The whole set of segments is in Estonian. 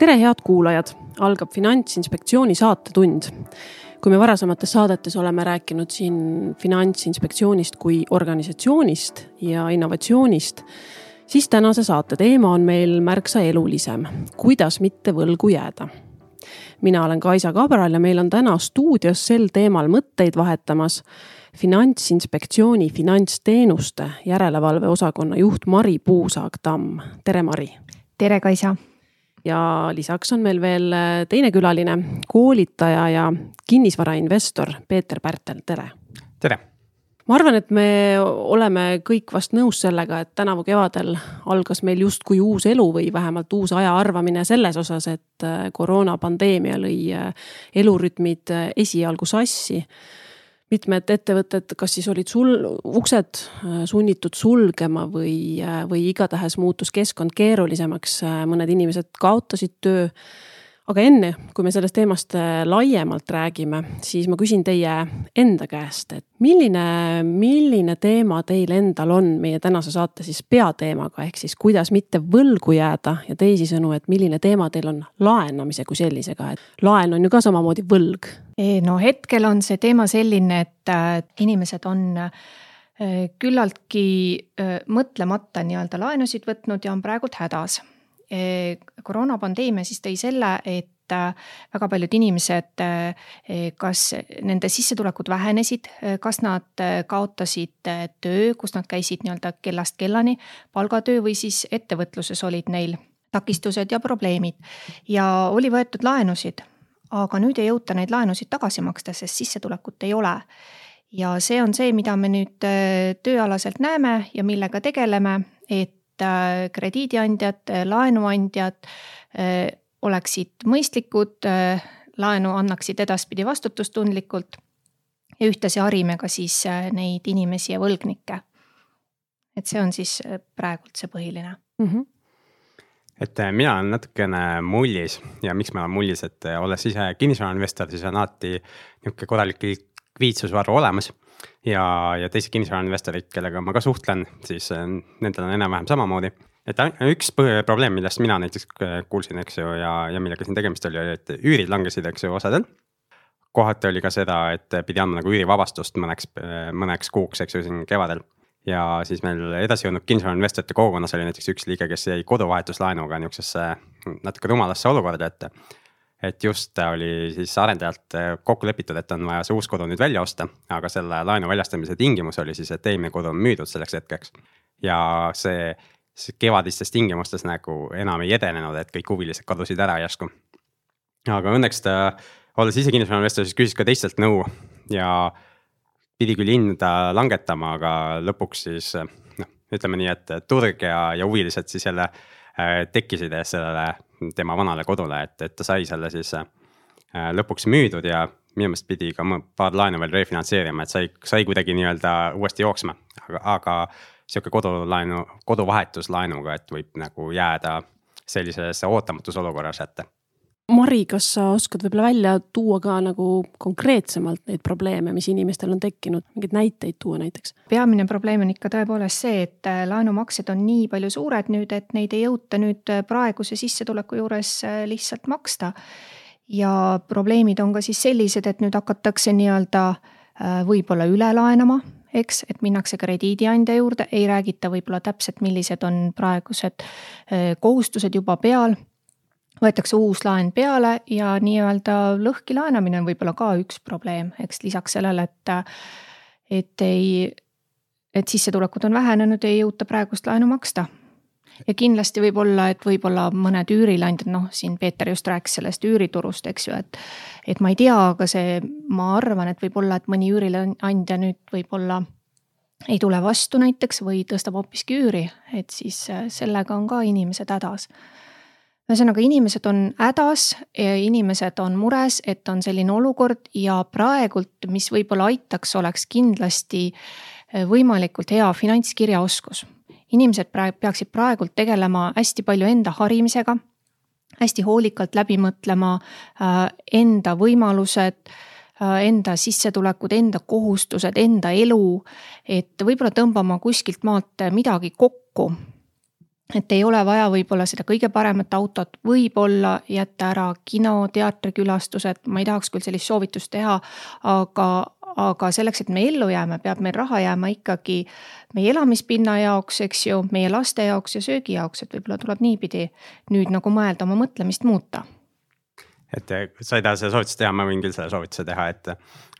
Tere, head kuulajad! Algab Finantsinspektsiooni saatetund. Kui me varasemates saadetes oleme rääkinud siin Finantsinspektsioonist kui organisatsioonist ja innovatsioonist, siis tänase saate teema on meil märksa elulisem. Kuidas mitte võlgu jääda? Mina olen Kaisa Kabral ja meil on täna stuudios sel teemal mõtteid vahetamas Finantsinspektsiooni finantsteenuste järelevalve osakonna juht Mari Puusaag-Tamm. Tere, Mari! Tere, Kaisa! Ja lisaks on meil veel teine külaline, koolitaja ja kinnisvarainvestor Peeter Pärtel. Tere! Tere! Ma arvan, et me oleme kõik vast nõus sellega, et tänavu kevadel algas meil justkui uus elu või vähemalt uus aja arvamine selles osas, et koroonapandeemia lõi elurütmid esialgu sassi. Mitmed ettevõtted, kas siis olid uksed sunnitud sulgema või igatahes muutus keskkond keerulisemaks, mõned inimesed kaotasid töö. Aga enne, kui me sellest teemast laiemalt räägime, siis ma küsin teie enda käest, et milline teema teil endal on meie tänase saate siis peateemaga, ehk siis kuidas mitte võlgu jääda ja teisisõnu, et milline teema teil on laenamise kui sellisega, et laen on ju ka samamoodi võlg. No hetkel on see teema selline, et inimesed on küllaltki mõtlemata nii-öelda laenusid võtnud ja on praegult hädas. Koroonapandeemia siis tõi selle, et väga paljud inimesed, kas nende sissetulekud vähenesid, kas nad kaotasid töö, kus nad käisid nii-öelda kellast kellani, palgatöö või siis ettevõtluses olid neil takistused ja probleemid ja oli võetud laenusid, aga nüüd ei jõuta neid laenusid tagasi maksta, sest sissetulekut ei ole. Ja see on see, mida me nüüd tööalaselt näeme ja millega tegeleme, et krediidiandjad, laenuandjad oleksid mõistlikud, laenu annaksid edaspidi vastutustundlikult ja ühtlasi harime ka siis neid inimesi ja võlgnikke. Et see on siis praegult see põhiline. Et mina olen natukene mullis ja miks ma olen mullis, et olles ise kinnisvarainvestor, siis on alati niisugune korralik likviidsusvaru olemas. Ja teised kinnisvarainvestorid, kellega ma ka suhtlen, siis nendel on enam-vähem samamoodi. Et üks probleem, millest mina näiteks kuulsin, eks ju, ja millega siin tegemist oli, et üürid langesid, eks ju, osadel. Kohati oli ka seda, et pidi andma nagu üürivabastust mõneks kuuks, eks ju, siin kevadel. Ja siis meil edasi jõudnud kinnisvarainvestorite kogukonnas oli näiteks üks liige, kes jäi koduvahetuslaenuga niisugusesse natuke rumalasse olukorda, et just oli siis arendajalt kokku lepitud, et on vaja see uus kodu nüüd välja osta, aga selle laenu väljastamise tingimus oli siis, et eelmine kodu on müüdud selleks hetkeks. Ja see kevadistes tingimustes nagu enam ei edenenud, et kõik huvilised kadusid ära järsku. Aga õnneks ta, olles ise kinnisvarainvestor, siis küsis ka teistelt nõu ja pidi küll hinda langetama, aga lõpuks siis, ütleme nii, et turg ja huvilised siis jälle tekkisid sellele tema vanale kodule, et ta sai selle siis lõpuks müüdud ja minu meelest pidi ka paar laenu veel refinantseerima, et sai kuidagi nii-öelda uuesti jooksma, aga selline koduvahetuslaenuga, et võib nagu jääda sellisesse ootamatus olukorras ette. Mari, kas sa oskad võib-olla välja tuua ka nagu konkreetsemalt neid probleeme, mis inimestel on tekkinud, mingid näiteid tuua näiteks? Peamine probleem on ikka tõepoolest see, et laenumaksed on nii palju suured nüüd, et neid ei jõuta nüüd praeguse sissetuleku juures lihtsalt maksta. Ja probleemid on ka siis sellised, et nüüd hakatakse nii-öelda võib-olla üle laenama, eks, et minnakse krediidiandja juurde, ei räägita võib-olla täpselt, millised on praegused kohustused juba peal. Võetakse uus laen peale ja nii-öelda lõhki laenamine on võib-olla ka üks probleem, eks lisaks sellele, et sissetulekud on vähenenud, ei jõuta praegust laenu maksta. Ja kindlasti võib olla, et võib-olla mõned üürilandjad, siin Peeter just rääkis sellest üüriturust, eks ju, et ma ei tea, aga ma arvan, et võib-olla, et mõni üürilandja nüüd võib-olla ei tule vastu näiteks või tõstab hoopiski üüri, et siis sellega on ka inimesed hädas. Ühesõnaga, inimesed on hädas, inimesed on mures, et on selline olukord ja praegult, mis võib-olla aitaks, oleks kindlasti võimalikult hea finantskirjaoskus. Inimesed peaksid praegult tegelema hästi palju enda harimisega, hästi hoolikalt läbi mõtlema enda võimalused, enda sissetulekud, enda kohustused, enda elu, et võib-olla tõmbama kuskilt maalt midagi kokku et ei ole vaja võib-olla seda kõige paremat autot, võib-olla jätta ära kino, teatrikülastused, ma ei tahaks küll sellist soovitust teha, aga selleks, et me ellu jääme, peab meil raha jääma ikkagi meie elamispinna jaoks, eks ju, meie laste jaoks ja söögi jaoks, et võib-olla tuleb niipidi nüüd nagu mõelda oma mõtlemist muuta. Et sa ei taha seda soovitust teha, ma võin küll selle soovituse teha, et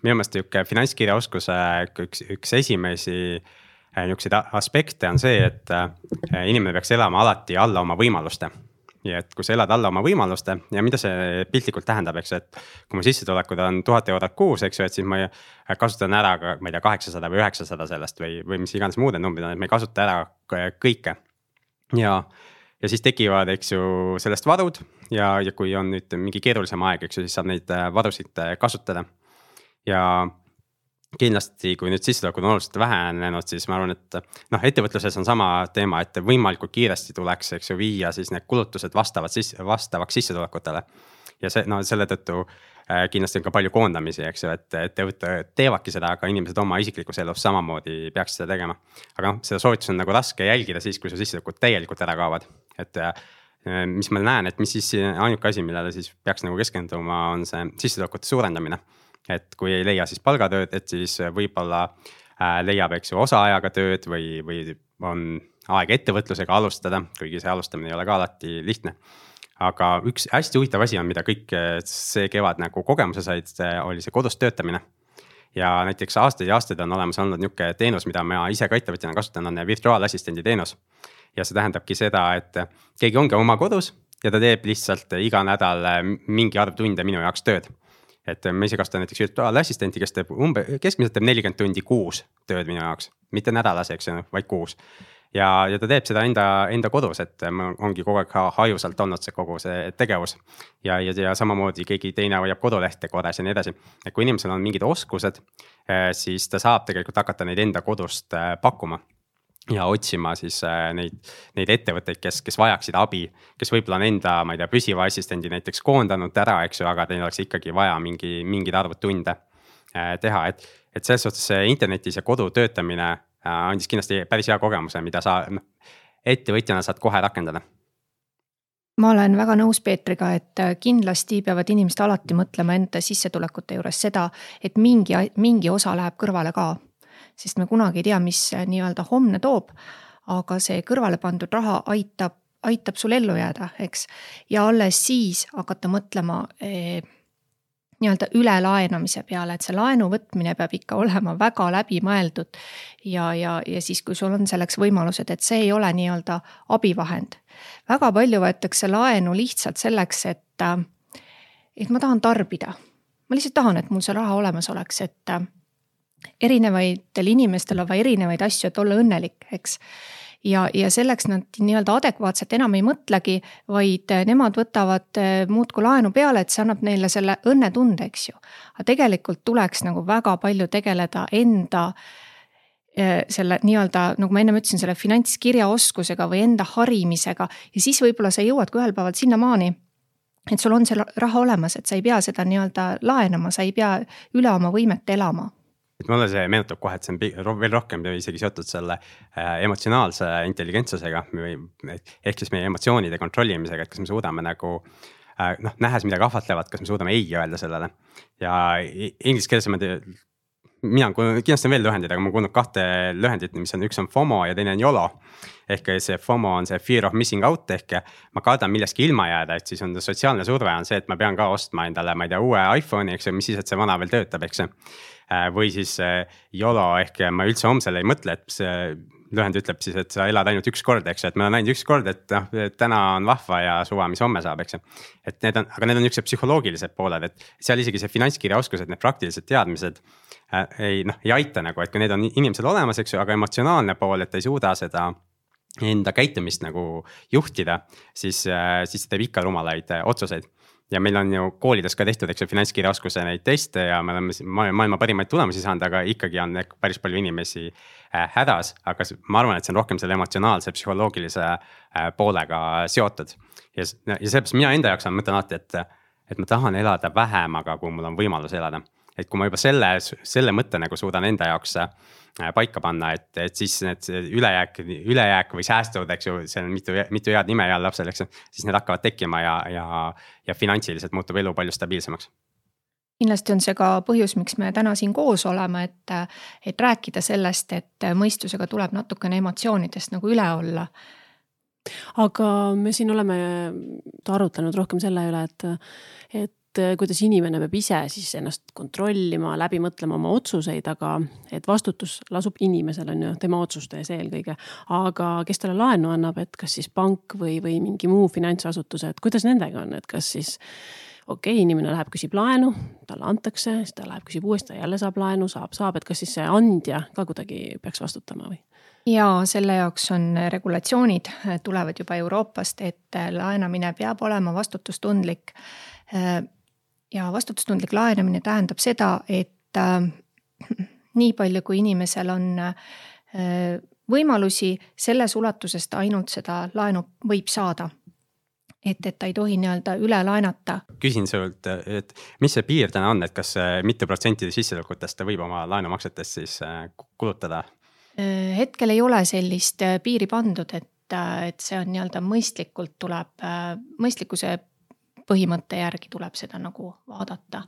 minu meelest finantskirjaoskuse üks esimesi niisuguseid aspekte on see, et inimene peaks elama alati alla oma võimaluste. Ja et kui sa elad alla oma võimaluste ja mida see piltlikult tähendab, eks, et kui mu sissetulekud on 1000 eurot kuus, eks ju, et siis ma kasutan ära ka, ma ei tea, 800 või 900 sellest või mis iganes muude numbrid on, et ma ei kasuta ära kõike. Ja siis tekivad, eks ju, sellest varud ja kui on nüüd mingi keerulisem aeg, eks ju, siis saab neid varusid kasutada. Ja kindlasti, kui nüüd sissetulekud on oluliselt vähenenud, siis ma arvan, et ettevõtluses on sama teema, et võimalikult kiiresti tuleks, eks ju, viia siis need kulutused vastavaks sissetulekutele. Ja selle tõttu kindlasti on ka palju koondamisi, eks ju, et ettevõtted teevadki seda, aga inimesed oma isiklikus elus samamoodi peaks seda tegema. Aga seda soovitus on nagu raske jälgida siis, kui su sissetulekud täielikult ära kaovad. Et mis ma näen, et mis siis ainuke asi, millele siis peaks nagu keskenduma, on see sissetulekute suurendamine. Et kui ei leia siis palgatööd, et siis võib-olla leiab, eks ju, osaajaga tööd või on aeg ettevõtlusega alustada, kuigi see alustamine ei ole ka alati lihtne. Aga üks hästi huvitav asi on, mida kõik see kevad nagu kogemuse said, oli see kodus töötamine. Ja näiteks aastaid on olemas olnud niisugune teenus, mida ma ise ka ettevõtjana kasutan, on virtuaalassistendi teenus. Ja see tähendabki seda, et keegi ongi oma kodus ja ta teeb lihtsalt iga nädal mingi arv tunde minu jaoks tööd. Et ma ise kasutan näiteks virtuaalassistenti, kes teeb keskmiselt teeb 40 tundi kuus tööd minu jaoks, mitte nädalas, eks, vaid kuus. Ja ta teeb seda enda kodus, et ongi kogu aeg hajusalt olnud see kogu see tegevus. Ja samamoodi keegi teine hoiab kodulehte korras ja nii edasi. Et kui inimesel on mingid oskused, siis ta saab tegelikult hakata neid enda kodust pakkuma. Ja otsima siis neid ettevõtteid, kes vajaksid abi, kes võib-olla on enda, ma ei tea, püsiva assistendi näiteks koondanud ära, eks ju, aga teil oleks ikkagi vaja mingid arvud tunde teha. Et selles suhtes internetis ja kodu töötamine andis kindlasti päris hea kogemuse, mida sa ettevõtjana saad kohe rakendada. Ma olen väga nõus Peetriga, et kindlasti peavad inimesed alati mõtlema enda sissetulekute juures seda, et mingi osa läheb kõrvale ka. Sest me kunagi ei tea, mis nii-öelda homne toob, aga see kõrvale pandud raha aitab sul ellu jääda, eks. Ja alles siis hakata mõtlema nii-öelda ülelaenamise peale, et see laenu võtmine peab ikka olema väga läbi mõeldud ja siis, kui sul on selleks võimalused, et see ei ole nii-öelda abivahend. Väga palju võetakse laenu lihtsalt selleks, et ma tahan tarbida. Ma lihtsalt tahan, et mul see raha olemas oleks, et erinevatel inimestel on erinevaid asju, et olla õnnelik, eks. Ja selleks nad nii-öelda adekvaatselt enam ei mõtlegi, vaid nemad võtavad muudku laenu peale, et see annab neile selle õnnetunde, eks ju. Aga tegelikult tuleks nagu väga palju tegeleda enda selle nii-öelda, nagu ma enne ütlesin, selle finantskirjaoskusega või enda harimisega ja siis võib-olla sa jõuad ka ühel päeval sinna maani, et sul on see raha olemas, et sa ei pea seda nii-öelda laenama, sa ei pea üle oma võimet elama. Et mulle see meenutab kohe, et see on veel rohkem isegi seotud selle emotsionaalse intelligentsusega ehk siis meie emotsioonide kontrollimisega, et kas me suudame nagu nähes midagi ahvatlevat, kas me suudame ei öelda sellele. Ja inglise keeles mina kindlasti on veel lühendid, aga ma kuulnud 2 lühendit, mis on üks on FOMO ja teine on YOLO. Ehk see FOMO on see fear of missing out ehk ma kardan milleski ilma jääda, et siis on sotsiaalne surve on see, et ma pean ka ostma endale, ma ei tea, uue iPhone'i, eks, mis siis, et see vana veel töötab, eks. Või siis YOLO ehk ma üldse homsele ei mõtle, et see lühend ütleb siis, et sa elad ainult üks kord, eks, et ma olen näinud üks kord, et täna on vahva ja suva, mis homme saab, eks. Et aga need on niisugused psühholoogilised pooled, et seal isegi see finantskirjaoskused, need praktilised teadmised ei aita nagu, et kui need on inimesel olemas, eks ju, aga emotsionaalne pool, et ei suuda seda enda käitumist nagu juhtida, siis teeb ikka rumalaid otsuseid. Ja meil on ju koolides ka tehtud, eks ju, finantskirjaoskuse neid teste ja me oleme maailma parimaid tulemusi saanud, aga ikkagi on päris palju inimesi hädas, aga ma arvan, et see on rohkem selle emotsionaalse, psühholoogilise poolega seotud. Ja sellepärast mina enda jaoks mõtlen alati, et ma tahan elada vähem, aga kui mul on võimalus elada. et kui ma juba selle mõtte nagu suudan enda jaoks paika panna, et siis need ülejääk või säästud, eks ju, seal on mitu head nime heal lapsel, eks ju, siis need hakkavad tekkima ja finantsiliselt muutub elu palju stabiilsemaks. Kindlasti on see ka põhjus, miks me täna siin koos oleme, et rääkida sellest, et mõistusega tuleb natukene emotsioonidest nagu üle olla. Aga me siin oleme arutlenud rohkem selle üle, et kuidas inimene peab ise siis ennast kontrollima, läbi mõtlema oma otsuseid, aga et vastutus lasub inimesel, on ju, tema otsuste ees eelkõige. Aga kes talle laenu annab, et kas siis pank või mingi muu finantsasutuse, et kuidas nendega on, et kas siis inimene läheb, küsib laenu, talle antakse, siis ta läheb, küsib uuesti, jälle saab laenu, saab, et kas siis see andja ka kuidagi peaks vastutama või? Ja selle jaoks on regulatsioonid, tulevad juba Euroopast, et laenamine peab olema vastutustundlik. Ja vastutustundlik laenamine tähendab seda, et nii palju kui inimesel on võimalusi, selles ulatusest ainult seda laenu võib saada. Et ta ei tohi nii-öelda üle laenata. Küsin sult, et mis see piir täna on, et kas mitu protsentide sissetulekutest võib oma laenumaksetest siis kulutada? Hetkel ei ole sellist piiri pandud, et see on nii-öelda mõistlikkuse põhimõtte järgi tuleb seda nagu vaadata.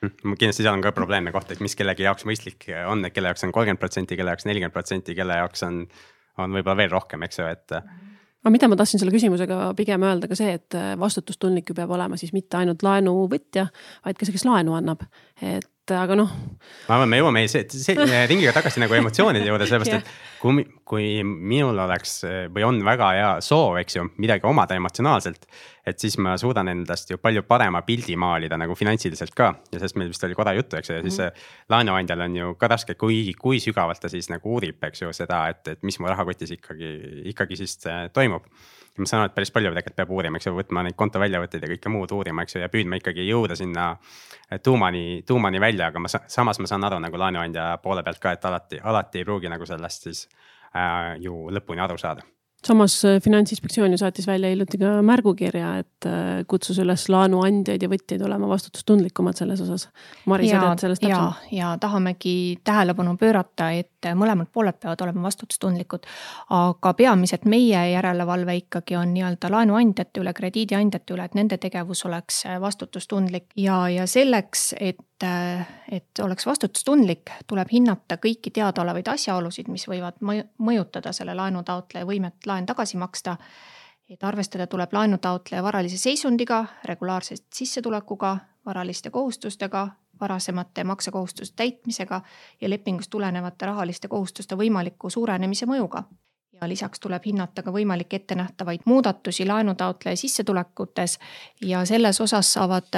Kindlasti seal on ka probleemne koht, et mis kellegi jaoks mõistlik on, et kelle jaoks on 30%, kelle jaoks 40%, kelle jaoks on võib-olla veel rohkem, eks ju, et aga mida ma tahtsin selle küsimusega pigem öelda ka see, et vastutustundlik ju peab olema siis mitte ainult laenuvõtja, vaid ka see, kes laenu annab. Aga noh. Ma arvan, me jõuame ringiga tagasi nagu emotsioonide juurde, sellepärast, et kui minul oleks või on väga hea soov, eks ju, midagi omada emotsionaalselt, et siis ma suudan endast ju palju parema pildi maalida nagu finantsiliselt ka. Ja sest meil vist oli korra juttu, eks ju, ja siis laenuandjal on ju ka raske, kui sügavalt ta siis nagu uurib, eks ju, seda, et mis mu rahakotis ikkagi siis toimub. Ja ma saan aru, et päris palju tegelikult peab uurima, eks ju, võtma neid konto väljavõtteid ja kõike muud uurima, eks ju, ja püüdma ikkagi jõuda sinna tuumani välja, aga samas ma saan aru nagu laenuandja poole pealt ka, et alati ei pruugi nagu sellest siis ju lõpuni aru saada. Samas Finantsinspektsioon ju saatis välja hiljuti ka märgukirja, et kutsus üles laenuandjaid ja võtjaid olema vastutustundlikumad selles osas. Mari, sa tead sellest täpselt? Ja tahamegi tähelepanu pöörata, et mõlemad pooled peavad olema vastutustundlikud, aga peamiselt meie järelevalve ikkagi on nii-öelda laenuandjate üle, krediidiandjate üle, et nende tegevus oleks vastutustundlik ja selleks, et oleks vastutustundlik, tuleb hinnata kõiki teadaolevaid asjaolusid, mis võivad mõjutada selle laenutaotleja võimet laen tagasi maksta. Et arvestada tuleb laenutaotleja varalise seisundiga, regulaarsest sissetulekuga, varaliste kohustustega, varasemate maksekohustuste täitmisega ja lepingust tulenevate rahaliste kohustuste võimaliku suurenemise mõjuga. Ja lisaks tuleb hinnata ka võimalik ettenähtavaid muudatusi laenutaotleja sissetulekutes ja selles osas saavad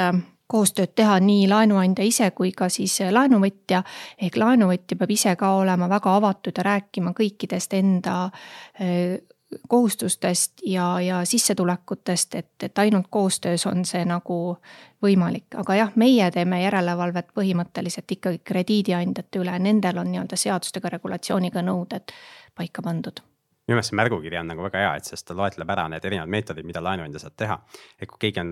koostööd teha nii laenuandja ise kui ka siis laenuvõtja, ehk laenuvõtja peab ise ka olema väga avatud ja rääkima kõikidest enda kohustustest ja sissetulekutest, et ainult koostöös on see nagu võimalik. Aga jah, meie teeme järelevalvet põhimõtteliselt ikkagi krediidiandjate üle, nendel on nii-öelda seadustega regulatsiooniga nõuded paika pandud. Minu meelest see märgukiri on nagu väga hea, et sest ta loetleb ära need erinevad meetodid, mida laenuandja saab teha. Et kui keegi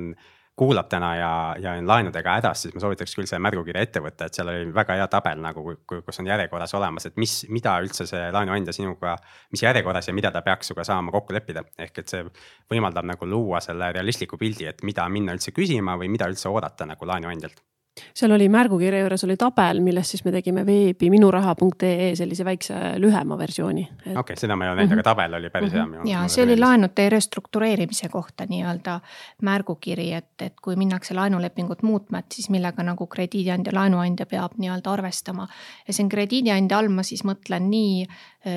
kuulab täna ja on laenudega hädas, siis ma soovitaks küll see märgukirja ette võtta, et seal oli väga hea tabel, nagu, kus on järjekorras olemas, et mida üldse see laenuandja sinuga, mis järjekorras ja mida ta peaks suga saama kokku leppida. Ehk et see võimaldab nagu luua selle realistliku pildi, et mida minna üldse küsima või mida üldse oodata nagu laenuandjalt. Seal oli märgukirja juures oli tabel, millest siis me tegime veebi minuraha.ee sellise väikse lühema versiooni. Okei, seda ma ei ole näinud, aga tabel oli päris hea. Ja see oli laenude restruktureerimise kohta nii-öelda märgukiri, et kui minnakse laenulepingut muutma, et siis millega nagu krediidiandja, laenuandja peab nii-öelda arvestama. Ja see krediidiandja all ma siis mõtlen nii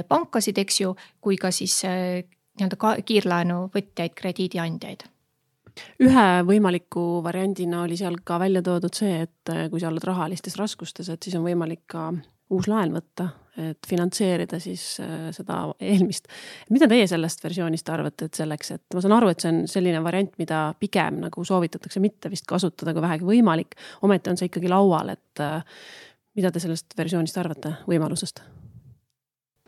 pankasid, eks ju, kui ka siis nii-öelda kiirlaenu võtjaid, krediidiandjaid. Ühe võimaliku variandina oli seal ka välja toodud see, et kui sa oled rahalistes raskustes, et siis on võimalik ka uus laen võtta, et finantseerida siis seda eelmist. Mida teie sellest versioonist arvate, et selleks, et ma saan aru, et see on selline variant, mida pigem nagu soovitatakse mitte vist kasutada, kui vähegi võimalik. Ometi on see ikkagi laual, et mida te sellest versioonist arvate võimalusest?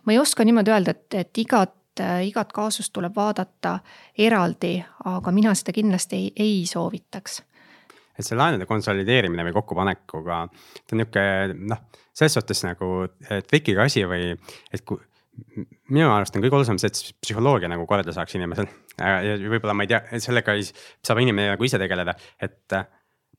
Ma ei oska niimoodi öelda, et igat kaasust tuleb vaadata eraldi, aga mina seda kindlasti ei soovitaks. et see laenude konsolideerimine või kokkupanekuga, ta on niisugune selles suhtes nagu trikiga asi või et kui minu arust on kõige olulisem see, et psühholoogia nagu korda saaks inimesel. Ja võib-olla ma ei tea, sellega saab inimene nagu ise tegeleda, et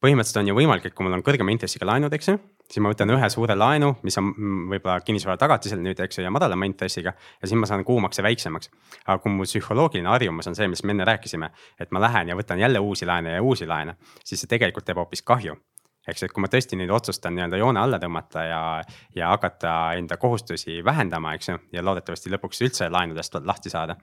põhimõtteliselt on ju võimalik, et kui mul on kõrgema intressiga laenud, eks ju, siis ma võtan ühe suure laenu, mis on võib-olla kinnisvara tagatisel nüüd, eks ju, ja madalama intressiga ja siis ma saan kuumakse väiksemaks. Aga kui mu psühholoogiline harjumus on see, mis me enne rääkisime, et ma lähen ja võtan jälle uusi laene ja uusi laene, siis see tegelikult teeb hoopis kahju. Eks, et kui ma tõesti nüüd otsustan nii-öelda joone alla tõmmata ja hakata enda kohustusi vähendama, eks ju, ja loodetavasti lõpuks üldse laenudest lahti saada,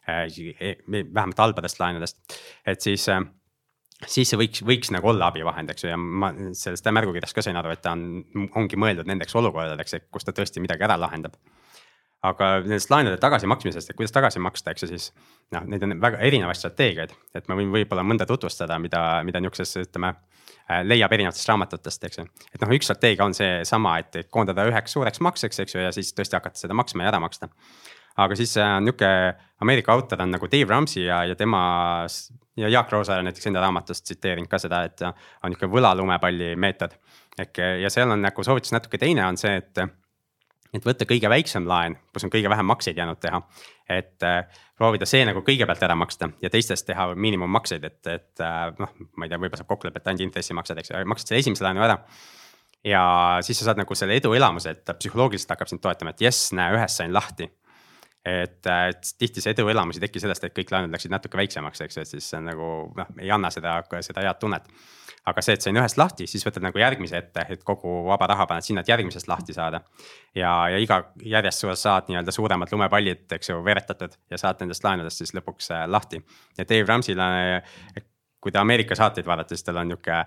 vähemalt halbadest laenudest, et siis see võiks nagu olla abivahend, eks ju, ja ma sellest märgukirjast ka sain aru, et ta ongi mõeldud nendeks olukordadeks, kus ta tõesti midagi ära lahendab. Aga nendest laenude tagasi maksmisest, et kuidas tagasi maksta, eks ju siis, neid on väga erinevaid strateegiaid, et ma võin võib-olla mõnda tutvustada, mida niisuguses, ütleme, leiab erinevatest raamatutest, eks ju. Et üks strateegia on see sama, et koondada üheks suureks makseks, eks ju, ja siis tõesti hakata seda maksma ja ära maksta. Aga siis niisugune Ameerika autor on nagu Dave Ramsey ja tema ja Jaak Roosaar näiteks enda raamatust tsiteerinud ka seda, et on niisugune võlalumepalli meetod. Ja seal on nagu soovitus natuke teine on see, et võtta kõige väiksem laen, kus on kõige vähem makseid jäänud teha, et proovida see nagu kõigepealt ära maksta ja teistest teha miinimummakseid, et ma ei tea, võib-olla saab kokkulepe, et ainult intressimaksed, eks ju, maksad selle esimese laenu ära. Ja siis sa saad nagu selle edu elamuse, et psühholoogiliselt hakkab sind toetama, et jess, näe, ühest sain lahti. Et tihti see edu elamus ei teki sellest, et kõik laenud läksid natuke väiksemaks, eks ju, et siis nagu ei anna seda head tunnet. Aga see, et sain ühest lahti, siis võtad nagu järgmise ette, et kogu vaba raha paned sinna, et järgmisest lahti saada. Ja iga järjest saad nii-öelda suuremad lumepallid, eks ju, veretatud ja saad nendest laenudest siis lõpuks lahti. Ja Dave Ramsey'le, kui ta Ameerika saateid vaadata, siis tal on niisugune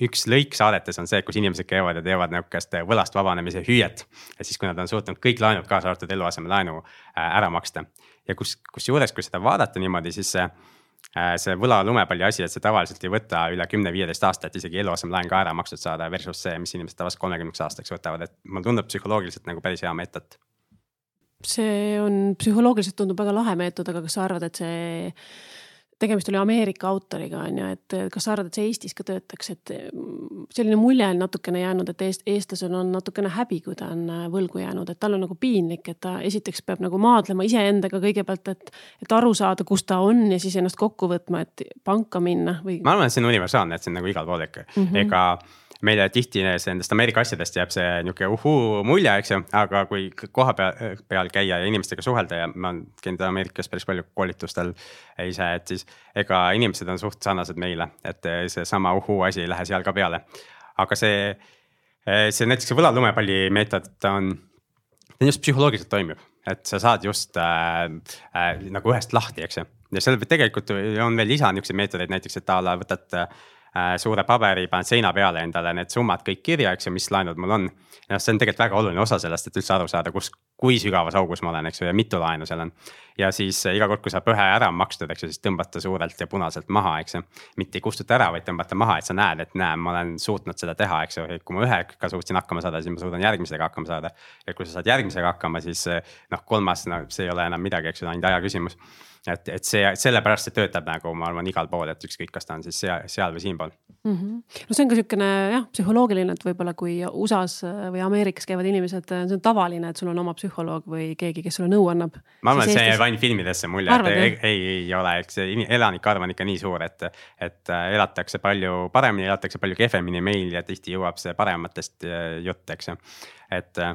üks lõik saadetes on see, kus inimesed käivad ja teevad niisugust võlast vabanemise hüüet. Ja siis, kui nad on suutnud kõik laenud kaasa arvatud eluaseme laenu ära maksta. Ja kusjuures, kui seda vaadata niimoodi, siis see võla lumepalli asi, et see tavaliselt ei võta üle 10-15 aastat isegi eluaseme laen ka ära makstud saada versus see, mis inimesed tavaliselt 30 aastaks võtavad, et mul tundub psühholoogiliselt nagu päris hea meetod. See on psühholoogiliselt tundub väga lahe meetod, aga kas sa arvad, et see tegemist oli Ameerika autoriga, on ju, et kas sa arvad, et see Eestis ka töötaks, et selline mulje on natukene jäänud, et eestlasel on natukene häbi, kui ta on võlgu jäänud, et tal on nagu piinlik, et ta esiteks peab nagu maadlema iseendaga kõigepealt, et aru saada, kus ta on ja siis ennast kokku võtma, et panka minna või. Ma arvan, et see on universaalne, et see on nagu igal pool ikka. Ega meile tihti nendest Ameerika asjadest jääb see niisugune mulje, eks ju, aga kui koha peal käia ja inimestega suhelda ja ma käin Ameerikas päris palju koolitustel ise, et siis ega inimesed on suht sarnased meile, et see sama asi ei lähe seal ka peale. Aga see näiteks see võlalumepalli meetod on just psühholoogiliselt toimib, et sa saad just nagu ühest lahti, eks ju. Ja seal tegelikult on veel lisa niisuguseid meetodeid näiteks, et taala võtad suure paberi, paned seina peale endale need summad kõik kirja, eks ju, mis laenud mul on. Ja see on tegelikult väga oluline osa sellest, et üldse aru saada, kui sügavas augus ma olen, eks ju, ja mitu laenu seal on. Ja siis iga kord, kui saab ühe ära makstud, eks ju, siis tõmbata suurelt ja punaselt maha, eks ju. Mitte ei kustuta ära, vaid tõmbata maha, et sa näed, et ma olen suutnud seda teha, eks ju. Kui ma ühega suutsin hakkama saada, siis ma suudan järgmisega hakkama saada. Ja kui sa saad järgmisega hakkama, siis kolmas, see ei ole enam midagi, eks ju, ainult aja küsimus. Et sellepärast see töötab nagu, ma arvan, igal pool, et ükskõik, kas ta on siis seal või siinpool. No see on ka niisugune psühholoogiline, et võib-olla kui USAs või Ameerikas käivad inimesed, see on tavaline, et sul on oma psühholoog või keegi, kes sulle nõu annab. Ma arvan, et see jääb ainult filmidesse mulje, et ei ole, eks elanike arv on ikka nii suur, et elatakse palju paremini, elatakse palju kehvemini meil ja tihti jõuab see parematest jutt, eks ju. Et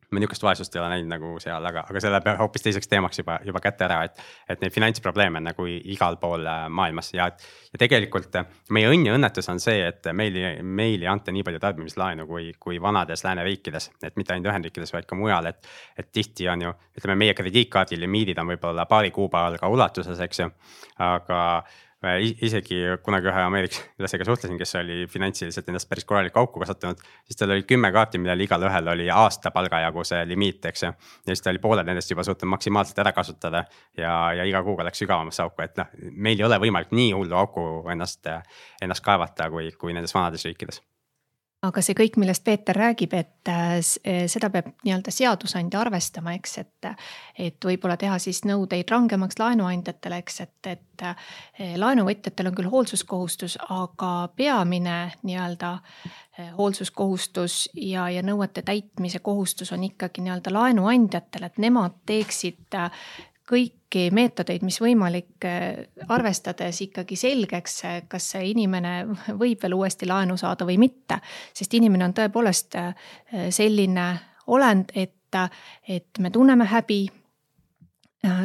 ma niisugust vaesust ei ole näinud nagu seal, aga selle peab hoopis teiseks teemaks juba kätte ära, et neid finantsprobleeme on nagu igal pool maailmas ja tegelikult meie õnn ja õnnetus on see, et meil ei anta nii palju tarbimislaenu kui vanades lääneriikides, et mitte ainult Ühendriikides, vaid ka mujal, et tihti on ju, ütleme, meie krediitkaardi limiidid on võib-olla paari kuupalga ulatuses, eks ju, aga isegi kunagi ühe ameeriklasega suhtlesin, kes oli finantsiliselt endast päris korralikku auku kasvatanud, siis tal oli 10 kaarti, millel igal ühel oli aasta palgajagu see limiit, eks ju. Ja siis ta oli pooled nendest juba suutnud maksimaalselt ära kasutada ja iga kuuga läks sügavamasse auku, et meil ei ole võimalik nii hullu auku ennast kaevata kui nendes vanades riikides. aga see kõik, millest Peeter räägib, et seda peab nii-öelda seadusandja arvestama, eks, et võib-olla teha siis nõudeid rangemaks laenuandjatele, eks, et laenuvõtjatel on küll hoolsuskohustus, aga peamine nii-öelda hoolsuskohustus ja nõuete täitmise kohustus on ikkagi nii-öelda laenuandjatel, et nemad teeksid kõiki meetodeid, mis võimalik, arvestades ikkagi selgeks, kas see inimene võib veel uuesti laenu saada või mitte. Sest inimene on tõepoolest selline olend, et me tunneme häbi.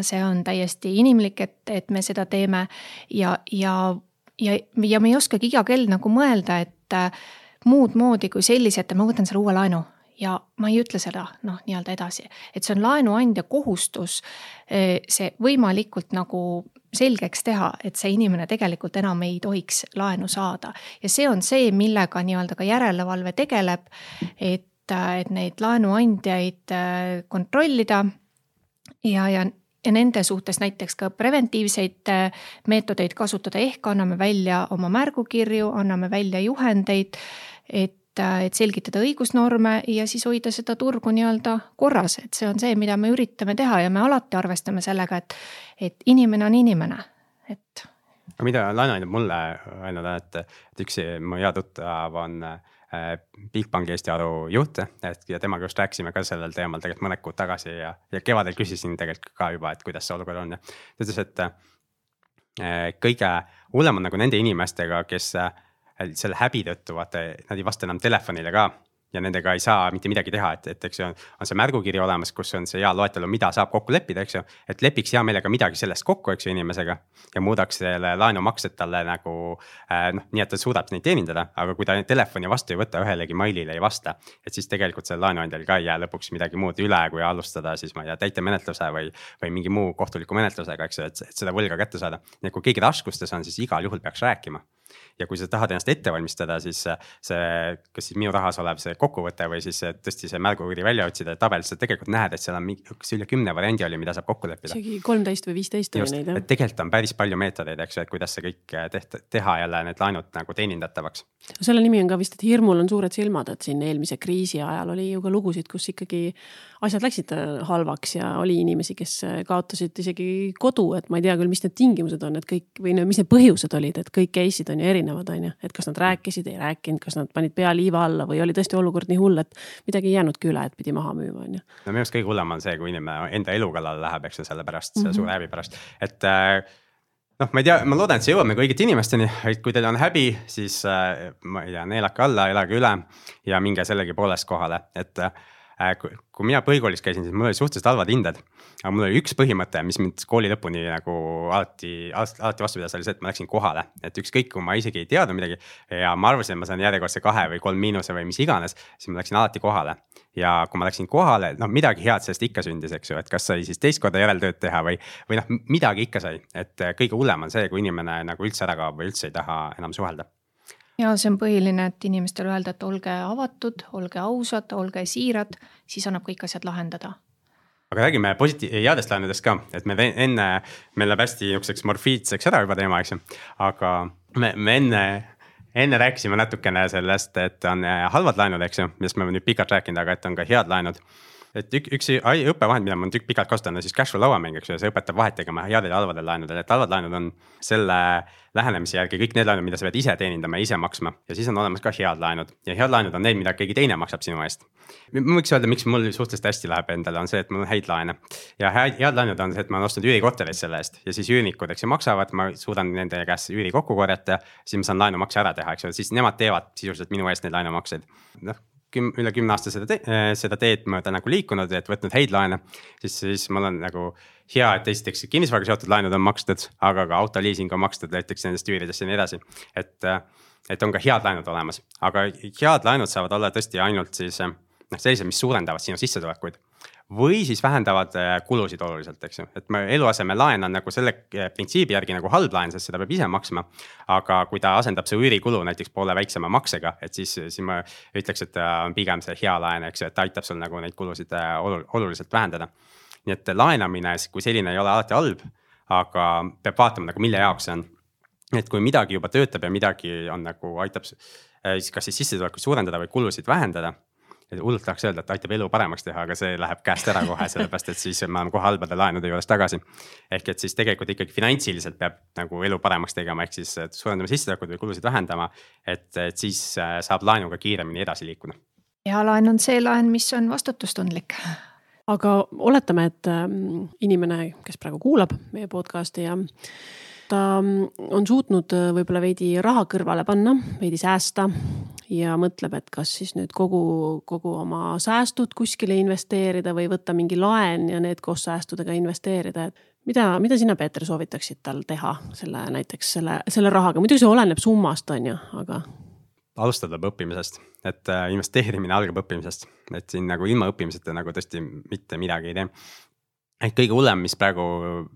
See on täiesti inimlik, et me seda teeme ja me ei oskagi iga kell nagu mõelda, et muud moodi kui sellised, et ma võtan selle uue laenu. Ja ma ei ütle seda nii-öelda edasi, et see on laenuandja kohustus see võimalikult nagu selgeks teha, et see inimene tegelikult enam ei tohiks laenu saada. Ja see on see, millega nii-öelda ka järelevalve tegeleb, et neid laenuandjaid kontrollida ja nende suhtes näiteks ka preventiivseid meetodeid kasutada, ehk anname välja oma märgukirju, anname välja juhendeid, et selgitada õigusnorme ja siis hoida seda turgu nii-öelda korras, et see on see, mida me üritame teha ja me alati arvestame sellega, et inimene on inimene, et. Aga mida laenuandjad mulle öelnud, et üks mu hea tuttav on Bigbanki Eesti Aru juht ja temaga just rääkisime ka sellel teemal tegelikult mõned kuud tagasi ja kevadel küsisin tegelikult ka juba, et kuidas see olukord on ja ta ütles, et kõige hullem on nagu nende inimestega, kes selle häbi tõttu, vaata, nad ei vasta enam telefonile ka ja nendega ei saa mitte midagi teha, et eks on see märgukiri olemas, kus on see hea loetelu, mida saab kokku leppida, eks ju, et lepiks hea meelega midagi sellest kokku, eks ju, inimesega ja muudaks selle laenumaksed talle nagu nii, et ta suudab neid teenindada, aga kui ta telefoni vastu ei võta, ühelegi mailile ei vasta, et siis tegelikult selle laenuandjal ka ei jää lõpuks midagi muud üle, kui alustada siis ma ei tea, täitemenetluse või mingi muu kohtuliku menetlusega, eks ju, et seda võlga kätte saada. Nii, kui keegi raskustes on, siis igal juhul peaks rääkima. Ja kui sa tahad ennast ette valmistada, siis kas siis minu rahas olev see kokkuvõte või siis tõesti see märgukiri välja otsida tabel, sa tegelikult näed, et seal on üle 10 variandi oli, mida saab kokku leppida. Isegi 13 või 15 oli neid. Et tegelikult on päris palju meetodeid, eks ju, et kuidas see kõik teha jälle need laenud nagu teenindatavaks. Selle nimi on ka vist, et hirmul on suured silmad, et siin eelmise kriisi ajal oli ju ka lugusid, kus ikkagi asjad läksid halvaks ja oli inimesi, kes kaotasid isegi kodu, et ma ei tea küll, mis need tingimused on, et kõik või mis need põhjused olid, et kõik case'id on ju erinevad, on ju, et kas nad rääkisid, ei rääkinud, kas nad panid pea liiva alla või oli tõesti olukord nii hull, et midagi ei jäänudki üle, et pidi maha müüma, on ju. No minu arust kõige hullem on see, kui inimene enda elu kallale läheb, eks selle pärast, suure häbi pärast, et ma ei tea, ma loodan, et see jõuab nagu õigete inimesteni, et kui teil on häbi, siis ma ei tea, neelake alla, elage üle ja minge sellegi poolest kohale, et kui mina põhikoolis käisin, siis mul oli suhteliselt halvad hinded, aga mul oli üks põhimõte, mis mind kooli lõpuni nagu alati vastu pidas, oli see, et ma läksin kohale, et ükskõik, kui ma isegi ei teadnud midagi ja ma arvasin, et ma saan järjekordse 2 või 3 miinuse või mis iganes, siis ma läksin alati kohale ja kui ma läksin kohale, midagi head sellest ikka sündis, eks ju, et kas sai siis teist korda järeltööd teha või midagi ikka sai, et kõige hullem on see, kui inimene nagu üldse ära kaob või üldse ei taha enam suhelda. Ja see on põhiline, et inimestel öelda, et olge avatud, olge ausad, olge siirad, siis annab kõik asjad lahendada. Aga räägime headest laenudest ka, et meil läheb hästi niisuguseks morfiidseks ära juba teema, eks ju. Aga me enne rääkisime natukene sellest, et on halvad laenud, eks ju, millest me nüüd pikalt rääkinud, aga et on ka head laenud. Et üks õppevahend, mida ma tükk pikalt kasutan, on siis cash flow lauamäng, eks ju, see õpetab vahet tegema headel ja halvadel laenudel, et halvad laenud on selle lähenemise järgi kõik need laenud, mida sa pead ise teenindama ja ise maksma ja siis on olemas ka head laenud ja head laenud on need, mida keegi teine maksab sinu eest. Ma võiks öelda, miks mul suhteliselt hästi läheb endale, on see, et mul on häid laene ja head laenud on see, et ma olen ostnud üürikorterit selle eest ja siis üürnikud, eks ju, maksavad, ma suudan nende käest üüri kokku korjata, siis ma saan laenumakse ära teha, eks ju, siis nemad teevad sisuliselt minu eest neid laenumakseid. Üle 10 aasta seda teed mööda nagu liikunud, et võtnud häid laene, siis mul on nagu hea, et esiteks kinnisvaraga seotud laenud on makstud, aga ka autoliising on makstud näiteks nendest üüridest ja nii edasi. Et on ka head laenud olemas, aga head laenud saavad olla tõesti ainult siis sellised, mis suurendavad sinu sissetulekuid või siis vähendavad kulusid oluliselt, eks ju. Et eluaseme laen on nagu selle printsiibi järgi nagu halb laen, sest seda peab ise maksma. Aga kui ta asendab see üürikulu näiteks poole väiksema maksega, et siis ma ütleks, et on pigem see hea laen, eks ju, et ta aitab sul nagu neid kulusid oluliselt vähendada. Nii et laenamine, kui selline ei ole alati halb, aga peab vaatama nagu mille jaoks see on. et kui midagi juba töötab ja midagi on nagu aitab kas siis sissetulekuid suurendada või kulusid vähendada. Hullult tahaks öelda, et aitab elu paremaks teha, aga see läheb käest ära kohe, sellepärast et siis me oleme kohe halbade laenude juures tagasi. Ehk et siis tegelikult ikkagi finantsiliselt peab nagu elu paremaks tegema, ehk siis suurendama sissetulekuid või kulusid vähendama, et siis saab laenuga kiiremini edasi liikuda. Ja laen on see laen, mis on vastutustundlik. Aga oletame, et inimene, kes praegu kuulab meie podcasti ja ta on suutnud võib-olla veidi raha kõrvale panna, veidi säästa ja mõtleb, et kas siis nüüd kogu oma säästud kuskile investeerida või võtta mingi laen ja need koos säästudega investeerida. Mida sina, Peeter, soovitaksid tal teha näiteks selle rahaga? Muidugi see oleneb summast, on ju, aga... Alustada õppimisest, et investeerimine algab õppimisest, et siin nagu ilma õppimiseta nagu tõesti mitte midagi ei tee. Et kõige hullem, mis praegu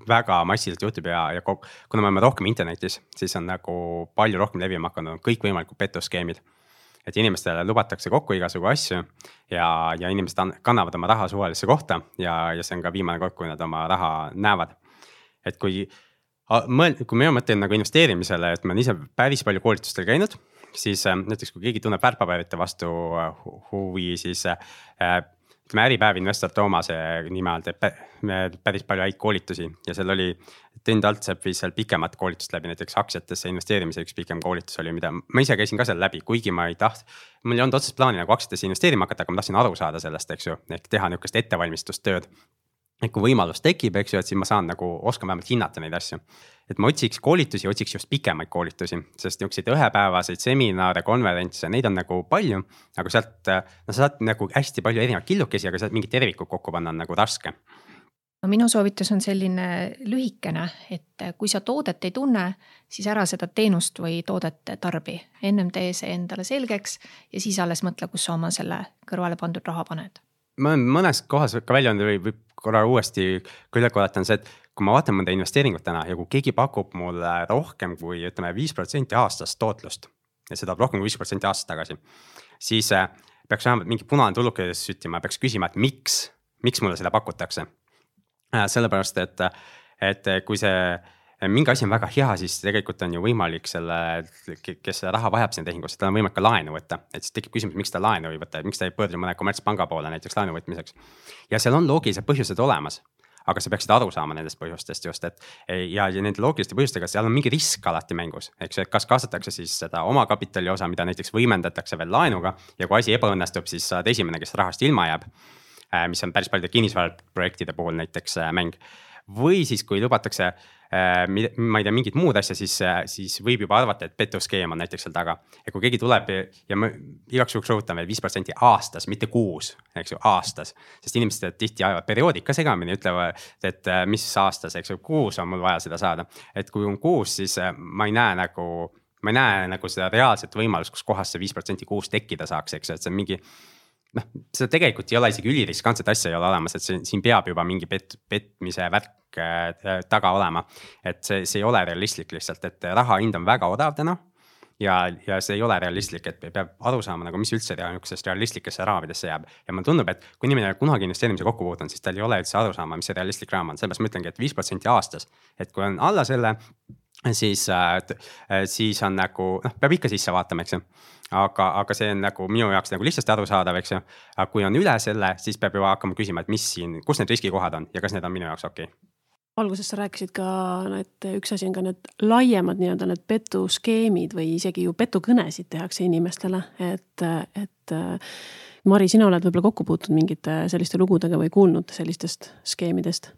väga massiliselt juhtub ja kuna me oleme rohkem internetis, siis on nagu palju rohkem levima hakanud kõik võimalikud petuskeemid. Et inimestele lubatakse kokku igasugu asju ja inimesed kannavad oma raha suvalisse kohta ja see on ka viimane kord, kui nad oma raha näevad. Et kui mina mõtlen nagu investeerimisele, et ma olen ise päris palju koolitustel käinud, siis näiteks kui keegi tunneb väärtpaberite vastu huvi, siis Äripäev investor Toomase nime all teeb päris palju häid koolitusi ja seal oli Tõnd Altsepp viis seal pikemat koolitust läbi, näiteks aktsiatesse investeerimise üks pikem koolitus oli, mida ma ise käisin ka seal läbi, kuigi ma ei mul ei olnud otsest plaani nagu aktsiatesse investeerima hakata, aga ma tahtsin aru saada sellest, eks ju, ehk teha niisugust ettevalmistustööd. Et kui võimalus tekib, eks ju, et siis ma saan nagu oskan vähemalt hinnata neid asju. Et ma otsiks koolitusi, otsiks just pikemaid koolitusi, sest niisuguseid ühepäevaseid seminare, konverentse, neid on nagu palju, aga sealt sa saad nagu hästi palju erinevaid killukesi, aga sealt mingit tervikut kokku panna on nagu raske. No minu soovitus on selline lühikene, et kui sa toodet ei tunne, siis ära seda teenust või toodet tarbi. Ennem tee see endale selgeks ja siis alles mõtle, kus sa oma selle kõrvale pandud raha paned. Ma olen mõnes kohas ka välja olnud või korra uuesti küll korratan see, et kui ma vaatan mõnda investeeringut täna ja kui keegi pakub mulle rohkem kui 5% aastast tootlust ja seda rohkem kui 5% aastast tagasi, siis peaks vähemalt mingi punane tullukedes süttima, peaks küsima, et miks mulle seda pakutakse. Sellepärast, et kui see mingi asi on väga hea, siis tegelikult on ju võimalik kes raha vajab sinna tehingusse, tal on võimalik ka laenu võtta. Et siis tekib küsimus, miks ta laenu ei võtta, miks ta ei pöördu mõne kommertspanga poole näiteks laenu võtmiseks. Ja seal on loogilised põhjused olemas, aga sa peaksid aru saama nendest põhjustest just, ja nende loogiliste põhjustega seal on mingi risk alati mängus. Eks, et kas kaasatakse siis seda oma kapitali osa, mida näiteks võimendatakse veel laenuga ja kui asi ebaõnnestub, siis saad esimene, kes rahast ilma jääb, mis on päris paljude kinnisvaraprojektide puhul näiteks mäng. Või siis, kui lubatakse, ma ei tea, mingid muud asja, siis võib juba arvata, et petuskeem on näiteks seal taga. Ja kui keegi tuleb ja ma igaks juhuks rõhutan veel 5% aastas, mitte kuus, eks ju, aastas. Sest inimesed tihti ajavad perioodika segamini, ütlevad, et mis aastas, eks ju, kuus on mul vaja seda saada. Et kui on kuus, siis ma ei näe nagu seda reaalset võimalust, kus kohas see 5% kuus tekkida saaks, eks ju, et see on mingi seda tegelikult ei ole isegi üliriskantset asja ei ole olemas, et siin peab juba mingi petmise värk taga olema, et see ei ole realistlik lihtsalt, et raha hind on väga odav täna ja see ei ole realistlik, et peab aru saama, nagu mis üldse realistlikesse raamidesse jääb ja mulle tundub, et kui inimene kunagi investeerimise kokku puutunud, siis tal ei ole üldse aru saama, mis see realistlik raam on, sellepärast ma ütlengi, et 5% aastas, et kui on alla selle, siis on nagu, peab ikka sisse vaatama, eks ju. Aga see on nagu minu jaoks nagu lihtsasti aru saadav, eks ju. Aga kui on üle selle, siis peab juba hakkama küsima, et kus need riskikohad on ja kas need on minu jaoks okei. Alguses sa rääkisid ka, et üks asi on ka need laiemad nii-öelda need petuskeemid või isegi ju petukõnesid tehakse inimestele, et Mari, sina oled võib-olla kokku puutunud mingite selliste lugudega või kuulnud sellistest skeemidest?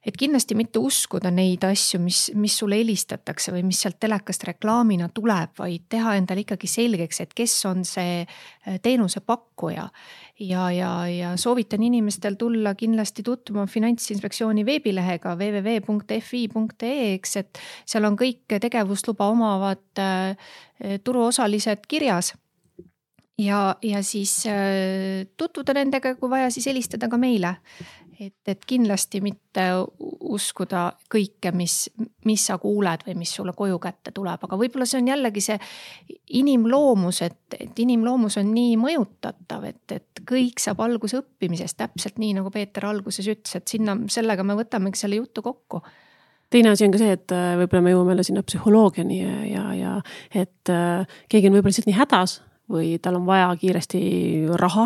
Et kindlasti mitte uskuda neid asju, mis sulle helistatakse või mis sealt telekast reklaamina tuleb, vaid teha endale ikkagi selgeks, et kes on see teenuse pakkuja. Ja soovitan inimestel tulla kindlasti tutvuma Finantsinspektsiooni veebilehega www.fi.ee, et seal on kõik tegevusluba omavad turuosalised kirjas. Ja siis tutvuda nendega, kui vaja, siis helistada ka meile. Et kindlasti mitte uskuda kõike, mis sa kuuled või mis sulle koju kätte tuleb, aga võib-olla see on jällegi see inimloomus, et inimloomus on nii mõjutatav, et kõik saab alguse õppimisest täpselt nii, nagu Peeter alguses ütles, et sellega me võtamegi selle juttu kokku. teine asi on ka see, et võib-olla me jõuame sinna psühholoogiani ja et keegi on võib-olla lihtsalt nii hädas või tal on vaja kiiresti raha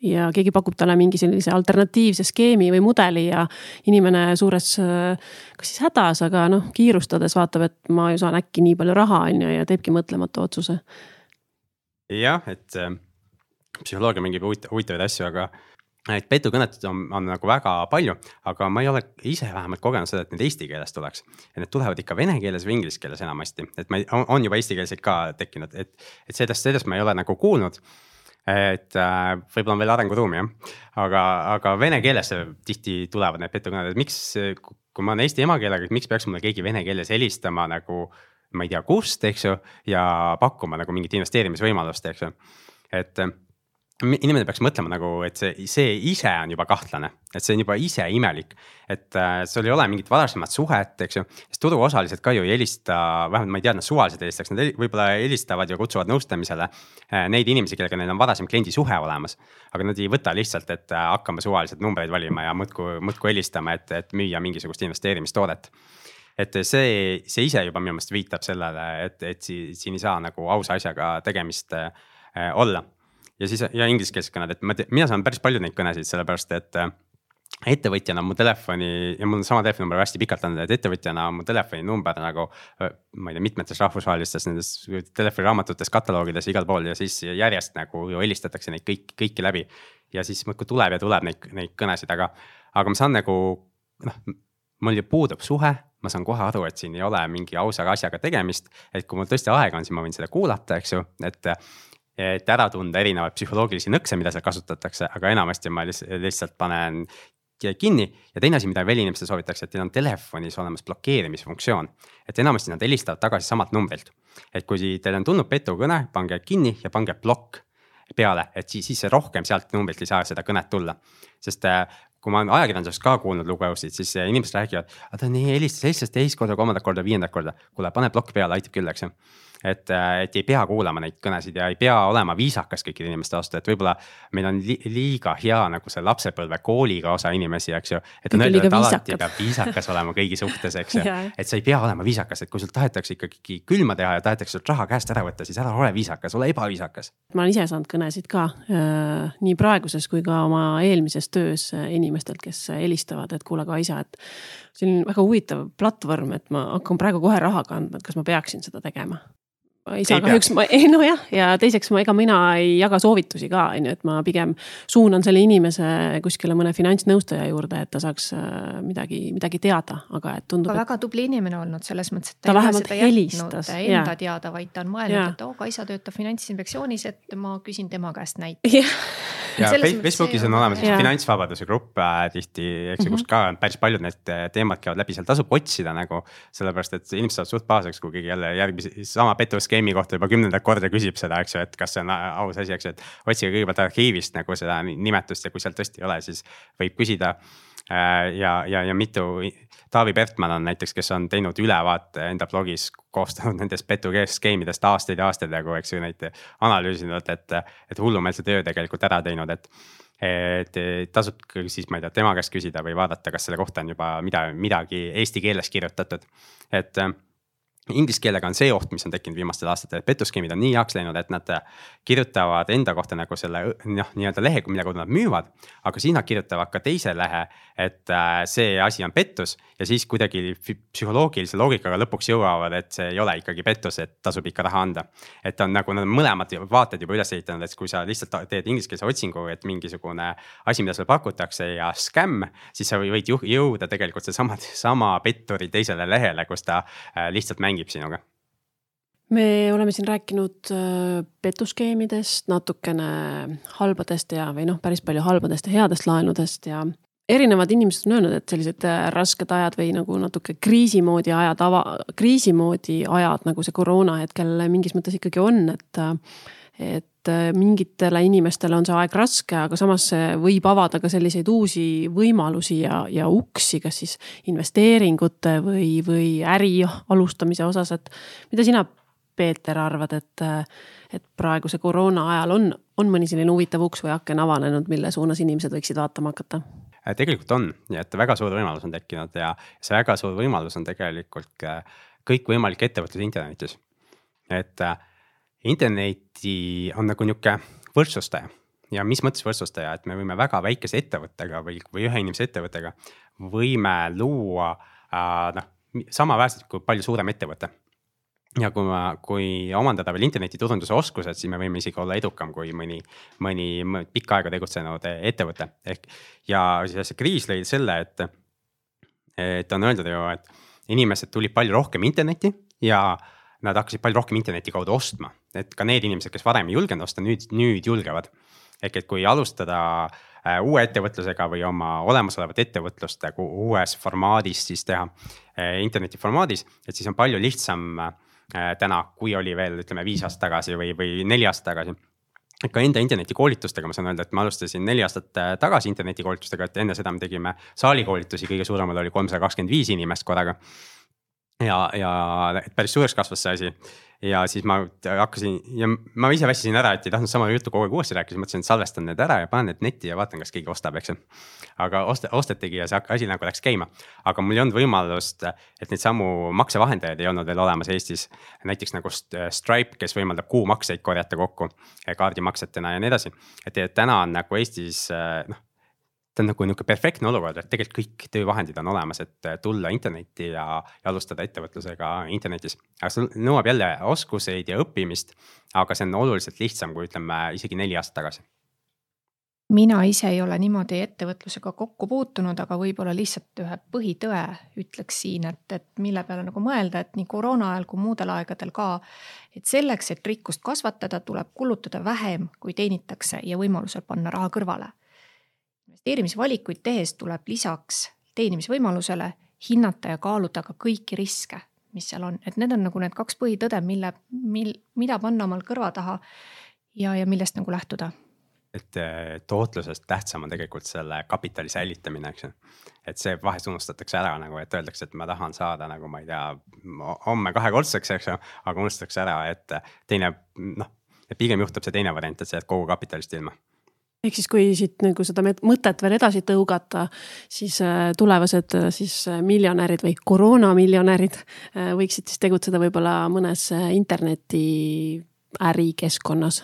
ja keegi pakub talle mingi sellise alternatiivse skeemi või mudeli ja inimene suures kas siis hädas, aga kiirustades vaatab, et ma ju saan äkki nii palju raha ja teebki mõtlematu otsuse. Jah, et psühholoogia mingib huvitavaid asju, aga et petukõnet on nagu väga palju, aga ma ei ole ise vähemalt kogenud seda, et need eesti keeles tuleks. Ja need tulevad ikka vene keeles või inglise keeles enamasti. Et on juba eesti keelseid ka tekkinud, et sellest ma ei ole nagu kuulnud. Et võib-olla on veel arenguruumi, jah. Aga vene keeles tihti tulevad need petukõned, et miks, kui ma olen eesti emakeelega, miks peaks mulle keegi vene keeles helistama nagu, ma ei tea kust, eks ju, ja pakkuma nagu mingit investeerimisvõimalust, eks ju. Et inimene peaks mõtlema nagu, et see ise on juba kahtlane, et see on juba ise imelik, et sul ei ole mingit varasemat suhet, eks ju, sest turuosalised ka ju ei helista, vähemalt ma ei tea, nad suvaliselt helistaks, nad võib-olla helistavad ja kutsuvad nõustamisele neid inimesi, kellega neil on varasem kliendi suhe olemas, aga nad ei võta lihtsalt, et hakkame suvaliselt numbreid valima ja mõtku helistama, et müüa mingisugust investeerimistoodet. Et see ise juba minu meelest viitab sellele, et siin ei saa nagu ausa asjaga tegemist olla. Ja ingliskeelsed kõned, et mina saan päris palju neid kõnesid, sellepärast, et ettevõtjana mu telefoni, ja mul on sama telefoninumber hästi pikalt andnud, et ettevõtjana mu telefoninumber nagu, ma ei tea, mitmetes rahvusvahelistes nendes telefoniraamatutes, kataloogides igal pool ja siis järjest nagu ju helistatakse neid kõiki läbi. Ja siis muudkui tuleb neid kõnesid, aga ma saan nagu, mul ju puudub suhe, ma saan kohe aru, et siin ei ole mingi ausa asjaga tegemist, et kui mul tõesti aega on, siis ma võin seda kuulata, eks ju, et ära tunda erinevaid psühholoogilisi nõkse, mida seal kasutatakse, aga enamasti ma lihtsalt panen kinni. Ja teine asi, mida veel inimestel soovitakse, et teil on telefonis olemas blokeerimisfunktsioon, et enamasti nad helistavad tagasi samalt numbrilt. Et kui teil on tulnud petukõne, pange kinni ja pange blokk peale, et siis rohkem sealt numbrilt ei saa seda kõnet tulla. Sest kui ma olen ajakirjandusest ka kuulnud lugevusid, siis inimesed räägivad, ta on nii helistas teist korda, kolmandat korda, viiendat korda, kuule, pane blokk peale, aitab küll, eks ju. Et ei pea kuulama neid kõnesid ja ei pea olema viisakas kõikide inimeste vastu, et võib-olla meil on liiga hea nagu see lapsepõlve kooliga osa inimesi, eks ju, et on öeldud, et alati peab viisakas olema kõigi suhtes, eks ju, et sa ei pea olema viisakas, et kui sul tahetakse ikkagi külma teha ja tahetakse sult raha käest ära võtta, siis ära ole viisakas, ole ebaviisakas. Ma olen ise saanud kõnesid ka nii praeguses kui ka oma eelmises töös inimestelt, kes helistavad, et kuule ka isa, et see on väga huvitav platvorm, et ma hakkan praegu kohe raha kandma, et kas ma peaksin seda tegema. Isa kahjuks ja teiseks mina ei jaga soovitusi ka, et ma pigem suunan selle inimese kuskile mõne finantsnõustaja juurde, et ta saaks midagi teada, aga et tundub, et väga tubli inimene olnud selles mõttes, et ta vähemalt helistas enda teada, vaid ta on mõelnud, et Kaisa töötab Finantsinspektsioonis, et ma küsin tema käest näite. Ja Facebookis on olemas finantsvabaduse grupp tihti, eks kust ka päris paljud need teemad käivad läbi, seal tasub otsida nagu, sellepärast, et inimesed saavad suht pahaseks, kui keegi jälle järgmisi sama petuskeemi kohta juba 10. korda küsib seda, eks ju, et kas see on aus asi, eks ju, et otsige kõigepealt arhiivist nagu seda nimetust ja kui seal tõesti ei ole, siis võib küsida ja mitu. Taavi Pertman on näiteks, kes on teinud ülevaate enda blogis, koostanud nendest petuskeemidest aastaid ja aastaid, eks ju neid analüüsinud, et hullumeelse töö tegelikult ära teinud, et tasub siis, ma ei tea, tema käest küsida või vaadata, kas selle kohta on juba midagi eesti keeles kirjutatud, et inglise keelega on see oht, mis on tekkinud viimastel aastatel, et petuskeemid on nii heaks läinud, et nad kirjutavad enda kohta nagu selle nii-öelda lehe, millega nad müüvad, aga siis nad kirjutavad ka teise lehe, et see asi on pettus ja siis kuidagi psühholoogilise loogikaga lõpuks jõuavad, et see ei ole ikkagi pettus, et tasub ikka raha anda. Et on nagu nad mõlemad vaated juba üles ehitanud, et kui sa lihtsalt teed ingliskeelse otsingu, et mingisugune asi, mida sulle pakutakse ja skämm, siis sa võid jõuda tegelikult see sama petturi teisele lehele, kus ta lihtsalt mängib sinuga. Me oleme siin rääkinud petuskeemidest, natukene halbadest või päris palju halbadest ja headest laenudest ja erinevad inimesed on öelnud, et sellised rasked ajad või nagu natuke kriisimoodi ajad, nagu see koroona hetkel mingis mõttes ikkagi on, et mingitele inimestele on see aeg raske, aga samas võib avada ka selliseid uusi võimalusi ja uksi, kas siis investeeringute või äri alustamise osas, et mida sina, Peeter, arvad, et praeguse koroona ajal on mõni selline huvitav uks või aken avanenud, mille suunas inimesed võiksid vaatama hakata? tegelikult on, nii et väga suur võimalus on tekkinud ja see väga suur võimalus on tegelikult kõikvõimalik ettevõtlus internetis. Et interneti on nagu niuke võrdsustaja ja mis mõttes võrdsustaja, et me võime väga väikese ettevõttega või ühe inimese ettevõttega võime luua samaväärselt kui palju suurem ettevõte. Ja kui omandada veel internetiturunduse oskused, siis me võime isegi olla edukam kui mõni pikka aega tegutsenud ettevõte. Ja siis see kriis lõi selle, et on öeldud ju, et inimesed tulid palju rohkem interneti ja nad hakkasid palju rohkem interneti kaudu ostma. Et ka need inimesed, kes varem ei julgenud osta, nüüd julgevad. Et kui alustada uue ettevõtlusega või oma olemasolevat ettevõtlust uues formaadis siis teha interneti formaadis, et siis on palju lihtsam täna, kui oli veel ütleme 5 aastat tagasi või 4 aastat tagasi. Ka enda internetikoolitustega ma saan öelda, et ma alustasin 4 aastat tagasi internetikoolitustega, et enne seda me tegime saalikoolitusi, kõige suuremal oli 325 inimest korraga. Ja päris suureks kasvas see asi. Ja siis ma hakkasin ja ma ise väsisin ära, et ei tahtnud sama juttu kogu aeg uuesti rääkida, mõtlesin, et salvestan need ära ja panen need netti ja vaatan, kas keegi ostab, eks. Aga ostetegi ja see asi nagu läks käima. Aga mul ei olnud võimalust, et neid samu maksevahendajaid ei olnud veel olemas Eestis. Näiteks nagu Stripe, kes võimaldab kuumakseid korjata kokku kaardimaksetena ja nii edasi. Et täna on nagu Eestis ta on nagu perfektne olukord, et tegelikult kõik töövahendid on olemas, et tulla internetti ja alustada ettevõtlusega internetis. Aga see nõuab jälle oskuseid ja õppimist, aga see on oluliselt lihtsam, kui ütleme isegi 4 aastat tagasi. Mina ise ei ole niimoodi ettevõtlusega kokku puutunud, aga võib-olla lihtsalt ühe põhitõe ütleks siin, et mille peale nagu mõelda, et nii koroona ajal kui muudel aegadel ka, et selleks, et rikkust kasvatada, tuleb kulutada vähem, kui teenitakse ja võimalusel panna raha kõrvale. Investeerimisvalikuid tehes tuleb lisaks teenimisvõimalusele hinnata ja kaaluda ka kõiki riske, mis seal on. Et need on nagu need 2 põhitõde, mida panna omal kõrva taha ja millest nagu lähtuda. Et tootlusest tähtsam on tegelikult selle kapitali säilitamine, eks. Et see vahest unustatakse ära, nagu, et öeldakse, et ma tahan saada, nagu ma ei tea, homme 2-kordseks, eks, aga unustatakse ära, et pigem juhtub see teine variant, et see jääd kogu kapitalist ilma. Ehk siis kui siit nagu seda mõtet veel edasi tõugata, siis tulevased siis miljonärid või koroonamiljonärid võiksid siis tegutseda võib-olla mõnes interneti ärikeskkonnas,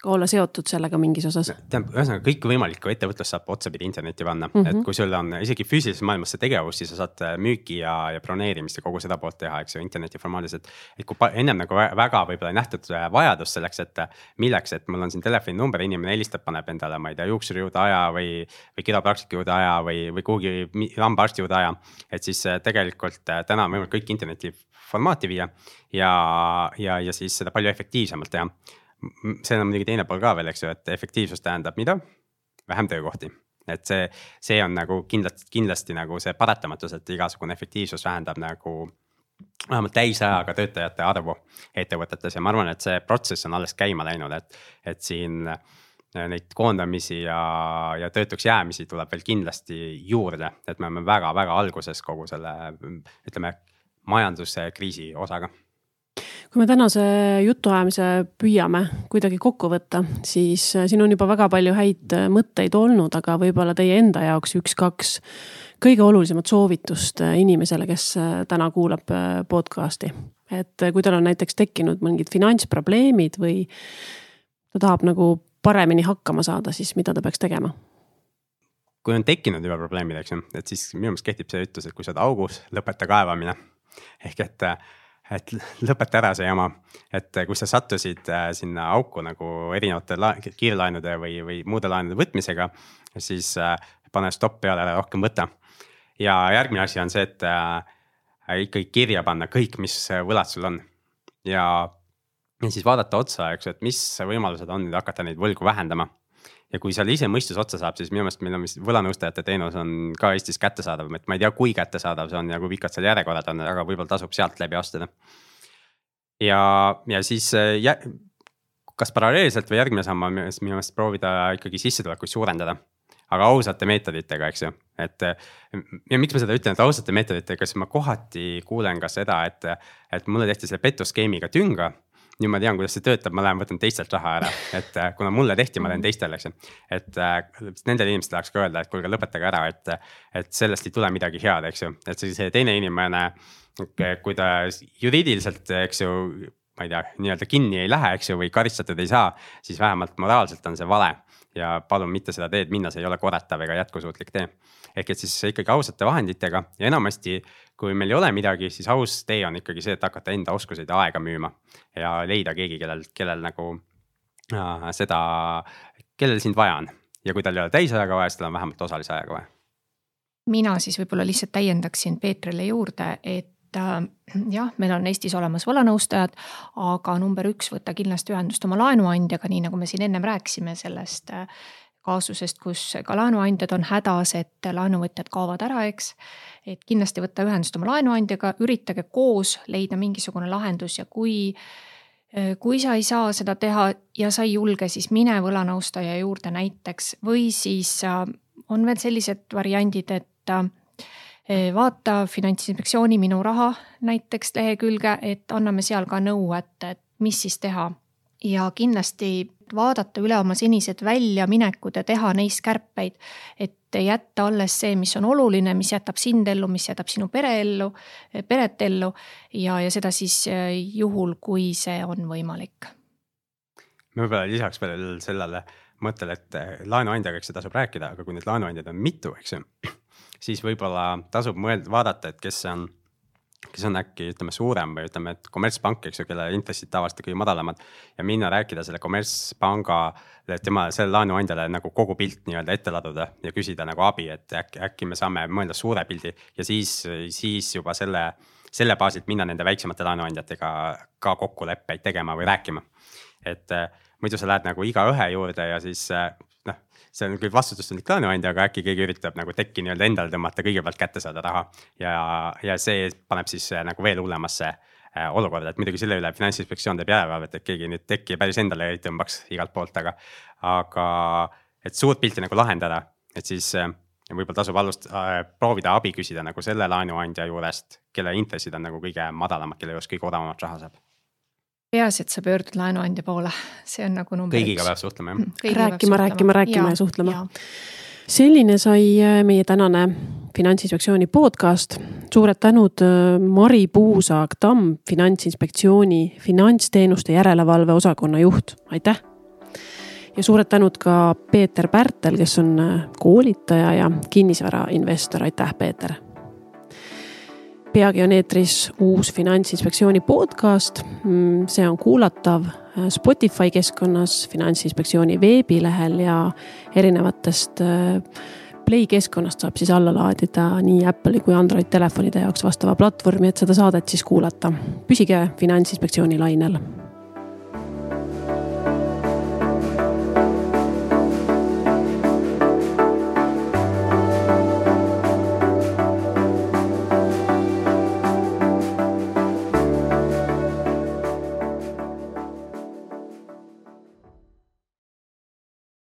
olla seotud sellega mingis osas. Ühesõnaga kõik võimalikku ettevõtlus saab otsapidi internetti panna, et kui sul on isegi füüsilises maailmas see tegevus, siis sa saad müüki ja broneerimist ja kogu seda poolt teha, eks ju, interneti formaadis, et kui ennem nagu väga võib-olla nähtud vajadus selleks, et milleks, et mul on siin telefoni number, inimene helistab, paneb endale, ma ei tea, juuksuri juurde aja või kiropraktika juurde aja või kuhugi lambaarsti juurde aja, et siis tegelikult täna on võimalik kõik interneti formaati viia ja siis seda palju efektiivsemalt teha. See on muidugi teine pool ka veel, eks ju, et efektiivsus tähendab mida? Vähem töökohti. Et see on nagu kindlasti nagu see paratamatus, et igasugune efektiivsus vähendab nagu vähemalt täisajaga töötajate arvu ettevõtetes ja ma arvan, et see protsess on alles käima läinud, et siin neid koondamisi ja töötuks jäämisi tuleb veel kindlasti juurde, et me oleme väga-väga alguses kogu selle, ütleme, majanduskriisi osaga. Kui me tänase jutuajamise püüame kuidagi kokku võtta, siis siin on juba väga palju häid mõtteid olnud, aga võib-olla teie enda jaoks 1-2 kõige olulisemat soovitust inimesele, kes täna kuulab podcasti. Et kui tal on näiteks tekkinud mingid finantsprobleemid või ta tahab nagu paremini hakkama saada, siis mida ta peaks tegema? Kui on tekkinud juba probleemid, eks, et siis minu meelest kehtib see ütlus, et kui sa oled augus, lõpeta kaevamine. Ehk et lõpeta ära see jama, et kui sa sattusid sinna auku nagu erinevate kiirlaenude või muude laenude võtmisega, siis pane stopp peale ära, rohkem võtta. Ja järgmine asi on see, et ikkagi kirja panna kõik, mis võlad sul on. Ja siis vaadata otsa, eks, et mis võimalused on nüüd hakata neid võlgu vähendama. Ja kui seal ise mõistus otsa saab, siis minu meelest meil on võlanõustajate teenus on ka Eestis kättesaadav, et ma ei tea, kui kättesaadav see on ja kui pikad seal järjekorrad on, aga võib-olla tasub sealt läbi astuda. Ja siis kas paralleelselt või järgmine samm on minu meelest proovida ikkagi sissetulekuid suurendada, aga ausate meetoditega, eks ju. Ja miks ma seda ütlen, et ausate meetoditega, siis ma kohati kuulen ka seda, et mulle tehti selle petuskeemiga tünga nüüd ma tean, kuidas see töötab, ma lähen võtan teistelt raha ära, et kuna mulle tehti, ma teen teistele, eks ju. Et nendele inimestele tahaks ka öelda, et kuulge, lõpetage ära, et sellest ei tule midagi head, eks ju. Et see teine inimene, kui ta juriidiliselt, eks ju, ma ei tea, nii-öelda kinni ei lähe, eks ju, või karistatud ei saa, siis vähemalt moraalselt on see vale. Ja palun mitte seda teed minna, see ei ole korratav ega jätkusuutlik tee. Ehk et siis ikkagi ausate vahenditega ja enamasti, kui meil ei ole midagi, siis aus tee on ikkagi see, et hakata enda oskuseid ja aega müüma ja leida keegi, kellel nagu seda, kellel sind vaja on. Ja kui tal ei ole täisajaga vaja, siis tal on vähemalt osalise ajaga vaja. Mina siis võib-olla lihtsalt täiendaksin Peetrile juurde, et jah, meil on Eestis olemas võlanõustajad, aga number 1 võtta kindlasti ühendust oma laenuandjaga, nii nagu me siin ennem rääkisime sellest kaasusest, kus ka laenuandjad on hädas, et laenuvõtjad kaovad ära, eks. Et kindlasti võtta ühendust oma laenuandjaga, üritage koos leida mingisugune lahendus ja kui sa ei saa seda teha ja sa ei julge, siis mine võlanõustaja juurde näiteks või siis on veel sellised variandid, et vaata Finantsinspektsiooni Minu raha näiteks lehekülge, et anname seal ka nõu, et mis siis teha. Ja kindlasti vaadata üle oma senised väljaminekud ja teha neist kärpeid, et jätta alles see, mis on oluline, mis jätab sind ellu, mis jätab sinu peret ellu ja seda siis juhul, kui see on võimalik. Me võib-olla lisaks veel sellele mõttele, et laenuandjaga, eks see tasub rääkida, aga kui need laenuandjad on mitu, eks ju, siis võib-olla tasub vaadata, et kes on äkki, ütleme, suurem või ütleme, et kommertspank, eks ju, kelle intressid tavaliselt kõige madalamad ja minna rääkida selle kommertspanga, selle laenuandjale nagu kogu pilt nii-öelda ette laduda ja küsida nagu abi, et äkki me saame mõelda suure pildi ja siis juba selle baasilt minna nende väiksemate laenuandjatega ka kokkuleppeid tegema või rääkima. Et muidu sa lähed nagu iga ühe juurde ja siis see on küll vastutustundlik laenuandja, aga äkki keegi üritab nagu tekki nii-öelda endale tõmmata, kõigepealt kätte saada raha ja see paneb siis nagu veel hullemasse olukorda, et muidugi selle üle Finantsinspektsioon teeb järelevalvet, et keegi nüüd tekki päris endale ei tõmbaks igalt poolt, aga et suurt pilti nagu lahendada, et siis võib-olla tasub proovida abi küsida nagu selle laenuandja juurest, kelle intressid on nagu kõige madalamad, kelle juures kõige odavamat raha saab. Peas, et sa pöördud laenuandja poole, see on nagu number 1. Kõigiga peab suhtlema, Rääkima ja suhtlema. Selline sai meie tänane Finantsinspektsiooni podcast. Suured tänud Mari Puusaag-Tamm, Finantsinspektsiooni finantsteenuste järelevalve osakonna juht. Aitäh! Ja suured tänud ka Peeter Pärtel, kes on koolitaja ja kinnisvarainvestor. Aitäh, Peeter! Peagi on eetris uus Finantsinspektsiooni podcast. See on kuulatav Spotify keskkonnas, Finantsinspektsiooni veebilehel ja erinevatest Play keskkonnast saab siis alla laadida nii Apple'i kui Android telefonide jaoks vastava platvormi, et seda saadet siis kuulata. Püsige Finantsinspektsiooni lainel.